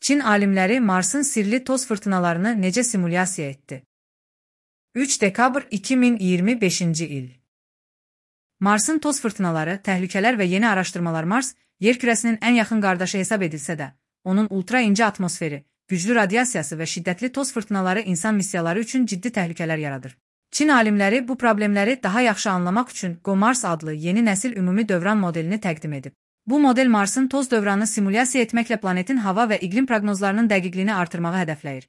Çin alimləri Marsın sirli toz fırtınalarını necə simulyasiya etdi? 3 dekabr 2025-ci il. Marsın toz fırtınaları, təhlükələr və yeni araşdırmalar. Mars, yer kürəsinin ən yaxın qardaşı hesab edilsə də, onun ultra incə atmosferi, güclü radiasiyası və şiddətli toz fırtınaları insan missiyaları üçün ciddi təhlükələr yaradır. Çin alimləri bu problemləri daha yaxşı anlamaq üçün GOMARS adlı yeni nəsil ümumi dövran modelini təqdim edib. Bu model Marsın toz dövranını simulyasiya etməklə planetin hava və iqlim proqnozlarının dəqiqliyini artırmağı hədəfləyir.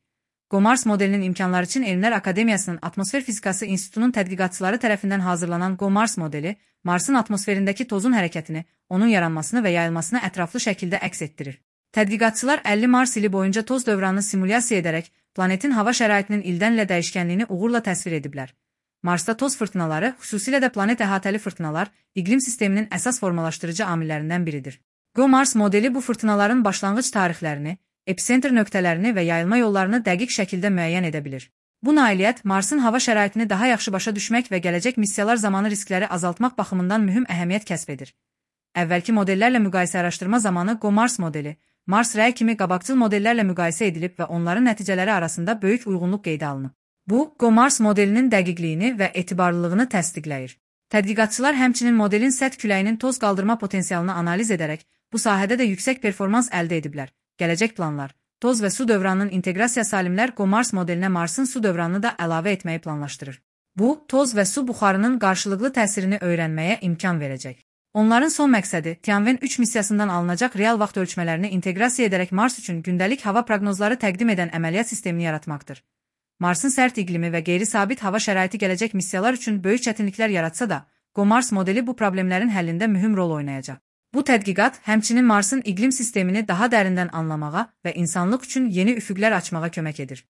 GOMARS modelinin imkanları üçün Elmlər Akademiyasının Atmosfer Fizikası İnstitutunun tədqiqatçıları tərəfindən hazırlanan GOMARS modeli, Marsın atmosferindəki tozun hərəkətini, onun yaranmasını və yayılmasını ətraflı şəkildə əks etdirir. Tədqiqatçılar 50 Mars ili boyunca toz dövranını simulyasiya edərək, planetin hava şəraitinin ildən ilə dəyişkənliyini uğurla təsvir ediblər. Marsda toz fırtınaları, xüsusilə də planet əhatəli fırtınalar, iqlim sisteminin əsas formalaşdırıcı amillərindən biridir. GOMARS modeli bu fırtınaların başlanğıc tarixlərini, epicentr nöqtələrini və yayılma yollarını dəqiq şəkildə müəyyən edə bilir. Bu nailiyyət Marsın hava şəraitini daha yaxşı başa düşmək və gələcək missiyalar zamanı riskləri azaltmaq baxımından mühüm əhəmiyyət kəsb edir. Əvvəlki modellərlə müqayisə araşdırma zamanı GOMARS modeli, Mars Rəy kimi qabaqcıl modellərlə müqayisə edilib və onların nəticələri arasında böyük uyğunluq qeydə alınıb. Bu, GOMARS modelinin dəqiqliyini və etibarlılığını təsdiqləyir. Tədqiqatçılar həmçinin modelin səth küləyinin toz qaldırma potensialını analiz edərək, bu sahədə də yüksək performans əldə ediblər. Gələcək planlar, toz və su dövranının inteqrasiyası alimlər GOMARS modelinə Marsın su dövranını da əlavə etməyi planlaşdırır. Bu, toz və su buxarının qarşılıqlı təsirini öyrənməyə imkan verəcək. Onların son məqsədi Tianwen 3 missiyasından alınacaq real vaxt ölçmələrini inteqrasiya edərək Mars üçün gündəlik hava proqnozları təqdim edən əməliyyat sistemini yaratmaqdır. Marsın sərt iqlimi və qeyri-sabit hava şəraiti gələcək missiyalar üçün böyük çətinliklər yaratsa da, GOMARS modeli bu problemlərin həllində mühüm rol oynayacaq. Bu tədqiqat həmçinin Marsın iqlim sistemini daha dərindən anlamağa və insanlıq üçün yeni üfüqlər açmağa kömək edir.